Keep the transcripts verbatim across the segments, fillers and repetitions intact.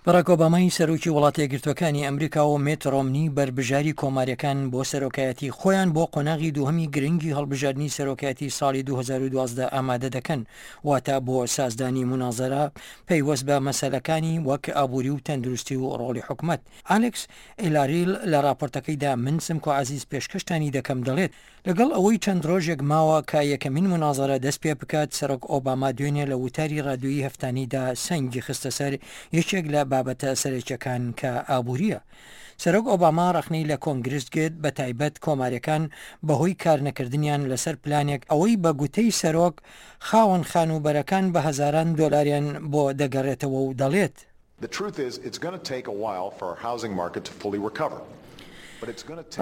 باراک ئۆبامای سەرۆکی وڵاتە یەکگرتووەکانی ئەمریکا و میت ڕۆمنی بەربژاری کۆماریەکان بۆ سەرۆکایەتی خۆیان بۆ قۆناغی دووهەمی گرنگی هەڵبژاردنی سەرۆکایەتی ساڵی دوو هەزار و دوازدە ئامادە دەکەن، واتە بۆ سازدانی مونازەرە پەیوەست بە مەسەلەکانی وەک ئابووری و تەندروستی و ڕۆڵی حکومەت. ئالێکس ئیلاریل لە ڕاپۆرتەکەیدا من سمکۆ عەزیز پێشکەشتانی دەکەم دەڵێت، لەگەڵ ئەوەی چەند ڕۆژێک ماوە کە یەکەمین مونازەرە دەست پێ بکات، سەرۆک ئۆباما دوێنێ لە وتاری ڕادیۆیی هەفتانیدا سەنگی خستە سەر یەکێک لە بابەتە سەرەکیەکان کە ئابووریە. سەرۆک ئۆباما ڕەخنەی لە کۆنگرس گرت، بە تایبەت کۆماریەکان بەهۆی کارنەکردنیان لەسەر پلانێک ئەوەی بە گوتەی سەرۆک خاوەن خانووبەرەکان بە هەزاران دۆلاریان بۆ دەگەڕێتەوە و دەڵێت، The truth is it's going to take a while for our housing market to fully recover.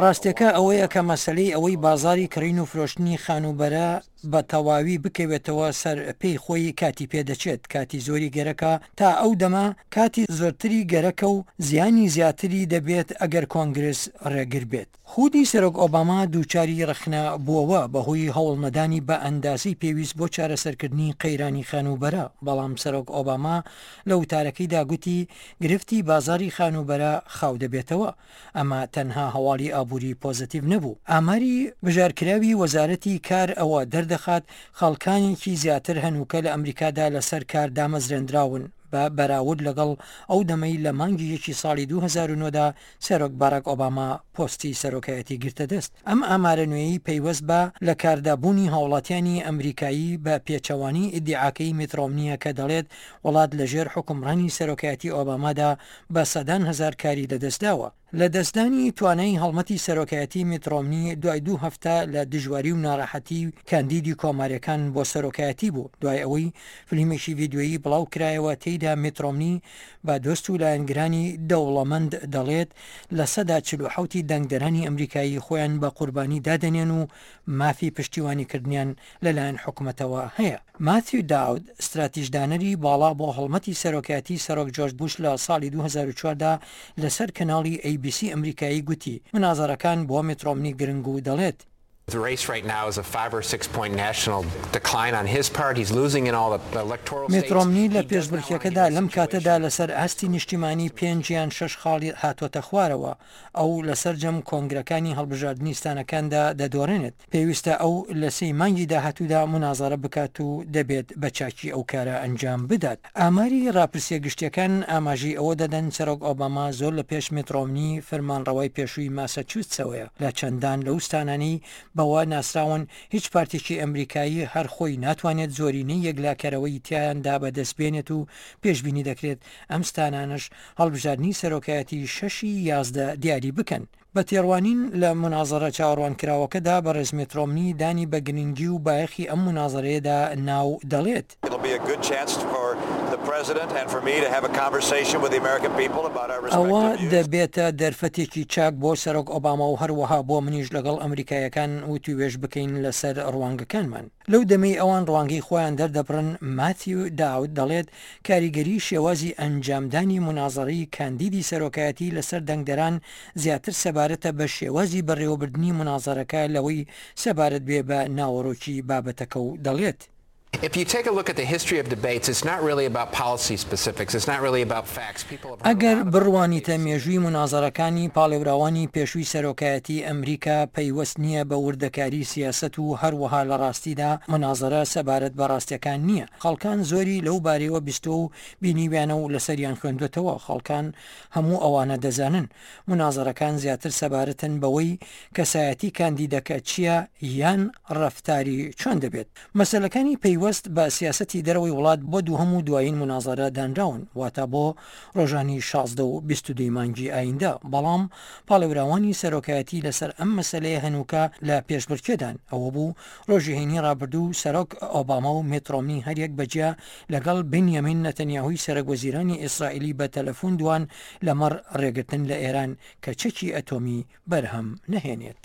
ڕاستیەکە ئەوەیە کە مەسەلەی ئەوەی بازاڕی کڕین و فرۆشتنی خانووبەرە بە تەواوی بکەوێتەوە سەر پێی خۆی کاتی پێ دەچێت، کاتی زۆری گەرەکە، تا ئەو دەمە کاتی زۆرتری گەرەکە و زیانی زیاتری دەبێت ئەگەر کۆنگرس ڕێگر بێت. خودی سەرۆک ئۆباما دووچاری ڕەخنە بووەوە بەهۆی هەوڵنەدانی بە ئەندازەی پێویست بۆ چارەسەرکردنی قەیرانی خانووبەرە، بەڵام سەرۆک ئۆباما لە وتارەکەیدا گوتی گرفتی بازاڕی خانووبەرە خاو دەبێتەوە. ئەمە تەنها هەواڵی ئابووری پۆزەتیڤ نەبوو. ئاماری بژارکراوی وەزارەتی کار ئەوە دەردەخات خەڵکانێکی زیاتر هەنووکە لە ئەمریکادا لەسەر کار دامەزرێندراون بە بەراورد لەگەڵ ئەو دەمەی لە مانگی یەکی ساڵی دوو هەزار و نۆ دا سەرۆک باراک ئۆباما پۆستی سەرۆکایەتی گرتە دەست. ئەم ئامارە نوێیەی پەیوەست بە لە کاردا بوونی هاوڵاتیانی ئەمریکایی بە پێچەوانەی ئیدیعاکەی میت ڕۆمنییە کە دەڵێت وڵات لە ژێر حوکمڕانی سەرۆکایەتی ئۆبامادا بە سەدان هەزار کاری لەدەستداوە. لەدەستدانی توانای هەڵمەتی سەرۆکایەتی میت ڕۆمنی دوای دوو هەفتە لە دژواری و ناڕەحەتی کاندیدی کۆماریەکان بۆ سەرۆکایەتی بوو دوای ئەوەی فلیمێکی ڤیدیۆیی بڵاو کرایەوە تێیدا میت ڕۆمنی بە دۆست و لایەنگرانی دەوڵەمەند دەڵێت لە سەدا چل و حەوت ی دەنگدەرانی ئەمریکایی خۆیان بە قوربانی دادەنێن و مافی پشتیوانیکردنیان لەلایەن حکومەتەوە هەیە. ماثیو داود، ستراتیژدانەری باڵا بۆ هەڵمەتی سەرۆکایەتی سەرۆک جۆرج بوش لە ساڵی دوو هەزار و چوار دا لەسەر کەناڵی ئەی بی سی ئەمریکایی گوتی، منازەرەکان بۆ میت ڕۆمنی گرنگ و دەڵێت، The race right now is a five or six point national decline on his part. He's losing in all the electoral میت states. ڕۆمنی لە He does not want to پێشبڕکێکەدا get in a لەم کاتەدا situation لەسەر ئاستی نیشتیمانی پێنج یان شەش خاڵی هاتۆتە خوارەوە، ئەو لە سەرجەم کۆنگرەکانی هەڵبژاردنی ستانەکاندا دەدۆڕێنێت. پێویستە ئەو لە سێی مانگی داهاتوودا مونازەرە بکات و دەبێت بە چاکی ئەو کارە ئەنجام بدات. ئاماری ڕاپرسیە گشتیەکان ئاماژەی ئەوە دەدەن سەرۆک ئۆباما زۆر لە پێش میت ڕۆمنی فەرمانڕەوای پێشووی ماساچوستسەوەیە لە چەندان لەو ستانانەی بەوە ناسراون هیچ پارتێکی ئەمریکایی هەر خۆی ناتوانێت زۆرینەی یەکلاکەرەوەی تیایاندا بەدەست بێنێت و پێشبینی دەکرێت ئەم ستانانەش هەڵبژاردنی سەرۆکایەتی شەشی یازدە دیاری بکەن. بە تێڕوانین لە مونازەرە چاوەڕوانکراوەکەدا بەڕێز میت ڕۆمنی دانی بە گرنگی و بایەخی ئەم مونازەرەیەدا نا و دەڵێت، ئەوە دەبێتە دەرفەتێکی چاک بۆ سەرۆک ئۆباما و هەروەها بۆ منیش لەگەڵ ئەمریکاییەکان وتووێژ بکەین لەسەر ڕوانگەکانمان. لەو دەمەی ئەوان ڕوانگەی خۆیان دەردەبڕن، ماثیو داود دەڵێت کاریگەری شێوازی ئەنجامدانی مونازەرەی کاندیدی سەرۆکایەتی لەسەر دەنگدەران زیاتر سەبارەتە بە شێوازی بەڕێوەبردنی مونازەرەکە لەوەی سەبارەت بێ بە ناوەڕۆکی بابەتەکە و دەڵێت. If you take a look at the history of debates, it's not really about policy specifics, it's not really about facts. People have heard a ئەگەر lot about بڕوانیتە debates. مێژووی مونازەرەکانی پاڵێوراوانی پێشووی سەرۆکایەتی ئەمریکا پەیوەست نییە بە وردەکاری سیاسەت و هەروەها لە ڕاستیدا مونازەرە سەبارەت بە ڕاستیەکان نییە خەڵکان زۆری لەو بارەیەوە بیستووە و بینیویانە و لەسەریان خوێندوەتەوە خەڵکان هەموو ئەوانە دەزانن مونازەرەکان زیاتر سەبارەتن بەوەی کەسایەتی کاندیدەکە چییە یان ڕەفتاری چۆن دەبێت. مەسەلەکانی پەیوەست بە سیاسەتی دەرەوەی وڵات بۆ دووهەم و دوایین مونازەرە دانراون، واتە بۆ ڕۆژانی شازدە و بیست و دوو ی مانگی ئایندە، بەڵام پاڵێوراوانی سەرۆکایەتی لەسەر ئەم مەسەلەیە هەنووکە لە پێشبڕکێدان، ئەوەبوو ڕۆژی هەینی ڕابردوو سەرۆک ئۆباما و میت ڕۆمنی هەریەک بەجیا لەگەڵ بنیامین نەتەنیاهوی سەرەک وەزیرانی ئیسرائیلی بە تەلەفون دوان لەمەڕ ڕێگرتن لە ئێران کە چەکی ئەتۆمی بەرهەم نەهێنێت.